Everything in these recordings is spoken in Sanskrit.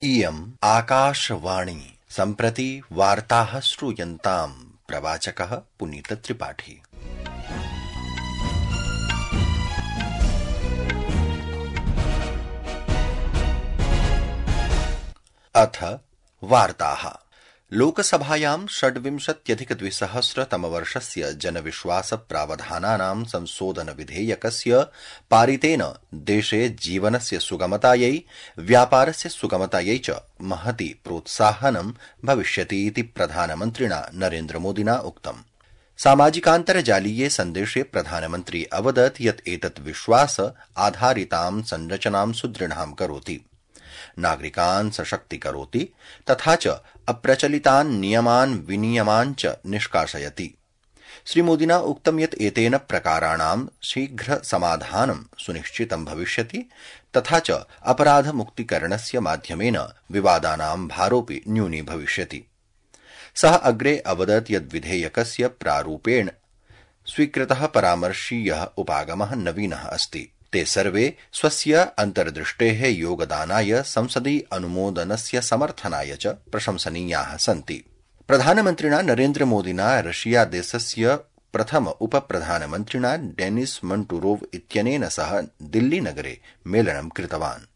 इयम् आकाशवाणी सम्प्रति वार्ताः श्रूयन्ताम्। प्रवाचकः पुनीतत्रिपाठी। अथ वार्ताः। लोकसभायां 26,200 जनविश्वास प्रावधानानां संशोधन विधेयकस्य पारितेन देशे जीवनस्य सुगमतायै, व्यापारस्य सुगमतायै च महती प्रोत्साहनं भविष्यति इति प्रधानमन्त्रिणा नरेन्द्रमोदिना उक्तम्। सामाजिकान्तर्जालीये सन्देशे प्रधानमन्त्री अवदत् यत् एतत् विश्वास आधारितां संरचनां सुदृढां करोति, नागरिकान् सशक्तीकरोति तथा च अप्रचलितान् नियमान् विनियमान् च निष्कासयति। श्रीमोदिना उक्तं यत् एतेन प्रकाराणां शीघ्र समाधानं सुनिश्चितं भविष्यति तथा च अपराधमुक्तीकरणस्य माध्यमेन विवादानां भारोऽपि न्यूनी भविष्यति। सः अग्रे अवदत् यत् विधेयकस्य प्रारूपेण स्वीकृतः परामर्शीयः उपागमः नवीनः अस्ति। ते सर्वे स्वस्य अन्तर्दृष्टेः योगदानाय संसदि अनुमोदनस्य समर्थनाय च प्रशंसनीयाः सन्ति। प्रधानमन्त्रिणा नरेन्द्रमोदिना रशिया देशस्य प्रथम उपप्रधानमन्त्रिणा डेनिस मन्टुरोव इत्यनेन सह दिल्लीनगरे मेलनं कृतवान्।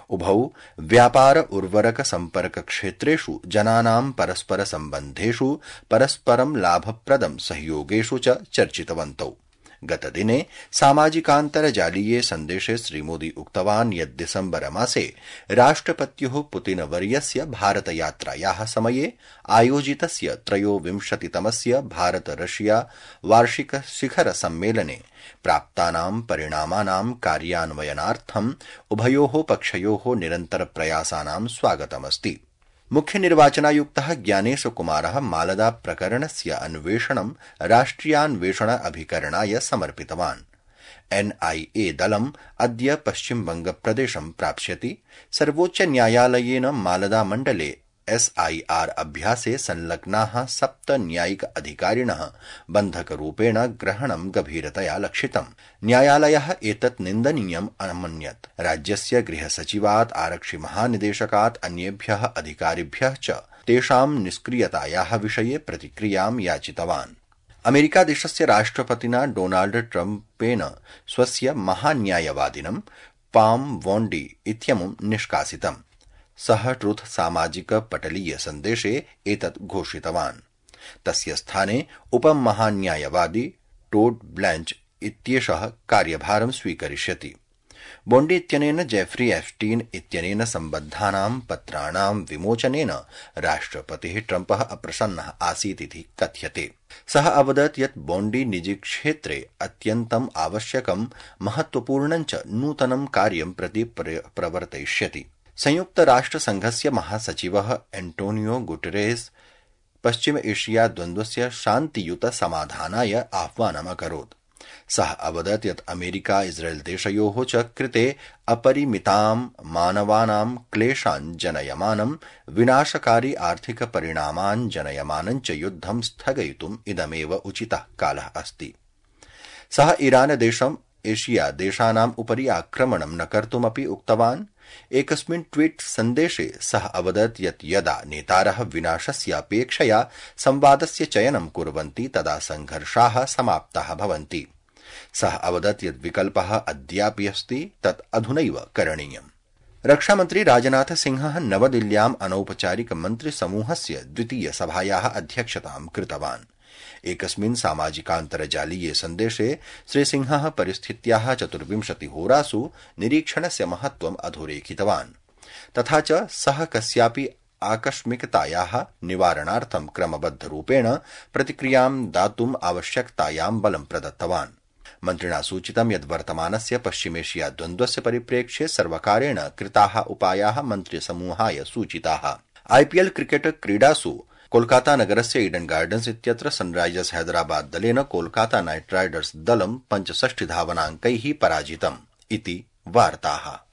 उभौ व्यापार उर्वरक सम्पर्क क्षेत्रेषु जनानां परस्पर सम्बन्धेषु परस्परं लाभप्रदं सहयोगेषु च चर्चितवन्तौ। गतदिने सामाजिकान्तर्जालीये सन्देशे श्रीमोदी उक्तवान् यत् दिसम्बर मासे राष्ट्रपत्युः पुतिनवर्यस्य भारतयात्रायाः समये आयोजितस्य 23तमस्य भारत रशिया वार्षिक शिखर सम्मेलने प्राप्तानां परिणामानां कार्यान्वयनार्थम् उभयोः पक्षयोः निरन्तर प्रयासानां स्वागतमस्ति। मुख्यनिर्वाचनायुक्तः ज्ञानेशकुमारः मालदा प्रकरणस्य अन्वेषणं राष्ट्रियान्वेषण अभिकरणाय समर्पितवान्। NIA दलम् अद्य पश्चिमबंगप्रदेशं प्राप्स्यति। सर्वोच्चन्यायालयेन मालदा मण्डले SIR अभ्यासे संलग्नाः 7 न्यायिक अधिकारिणः बन्धकरूपेण ग्रहणं गभीरतया लक्षितम्। न्यायालयः एतत् निन्दनीयम् अमन्यत्। राज्यस्य गृहसचिवात्, आरक्षिमहानिदेशकात्, अन्येभ्यः अधिकारिभ्यः च तेषां निष्क्रियतायाः विषये प्रतिक्रियां याचितवान्। अमेरिकादेशस्य राष्ट्रपतिना डोनाल्ड ट्रम्पेन स्वस्य महान्यायवादिनं पाम वोण्डी इत्यमुं निष्कासितम्। सः ट्रुथ सामाजिक पटलीय सन्देशे एतत् घोषितवान्। तस्य स्थाने उपमहान्यायवादी टोड ब्लैंच इत्येषः कार्यभारं स्वीकरिष्यति। बोण्डी इत्यनेन जेफ्री एप्स्टीन् इत्यनेन सम्बद्धानां पत्राणां विमोचनेन राष्ट्रपतिः ट्रम्पः अप्रसन्नः आसीत् इति कथ्यते। सः अवदत् यत् बोण्डी निजीक्षेत्रे अत्यन्तम् आवश्यकं महत्वपूर्णं च नूतनं कार्यं प्रति प्रवर्तयिष्यति। संयुक्तराष्ट्रसङ्घस्य महासचिवः एंटोनियो गुटेरेस पश्चिम एशिया द्वन्द्वस्य शान्तियुत समाधानाय आह्वानम् अकरोत्। सः अवदत् यत् अमेरिका इस्राएल देशयोः च कृते अपरिमितां मानवानां क्लेशान् जनयमानं विनाशकारी आर्थिक परिणामान् जनयमानं च युद्धं स्थगयितुम् इदमेव उचितः कालः अस्ति। सः ईरान देशम् एशिया देशानाम् उपरि आक्रमणं न कर्तुमपि उक्तवान्। एकस्मिन् ट्वीट सन्देशे सः अवदत् यत् यदा नेतारः विनाशस्य अपेक्षया संवादस्य चयनं कुर्वन्ति तदा संघर्षाः समाप्ताः भवन्ति। सः अवदत् यत् विकल्पः अद्यापि अस्ति, तत् अधुनैव करणीयम्। रक्षामन्त्री राजनाथ सिंहः नवदिल्ल्याम् अनौपचारिक मन्त्रिसमूहस्य द्वितीय सभायाः अध्यक्षतां कृतवान्। एकस्मिन् सामाजिकान्तर्जालीये सन्देशे श्रीसिंहः परिस्थित्याः 24 होरासु निरीक्षणस्य महत्त्वम् अधोरेखितवान्। तथा च सः कस्यापि आकस्मिकतायाः निवारणार्थं क्रमबद्धरूपेण प्रतिक्रियां दातुम् आवश्यकतायां बलं प्रदत्तवान्। मन्त्रिणा सूचितं यत् वर्तमानस्य पश्चिमेशिया द्वन्द्वस्य परिप्रेक्ष्ये सर्वकारेण कृताः उपायाः मन्त्रिसमूहाय सूचिताः। IPL क्रिकेट क्रीडासु कोलकाता नगरस्य ईडन गार्डन्स इत्यत्र सनराइजर्स हैदराबाद दलेन कोलकाता नाइट राइडर्स दलं 65 धावनाङ्कैः पराजितम् इति वार्ताः।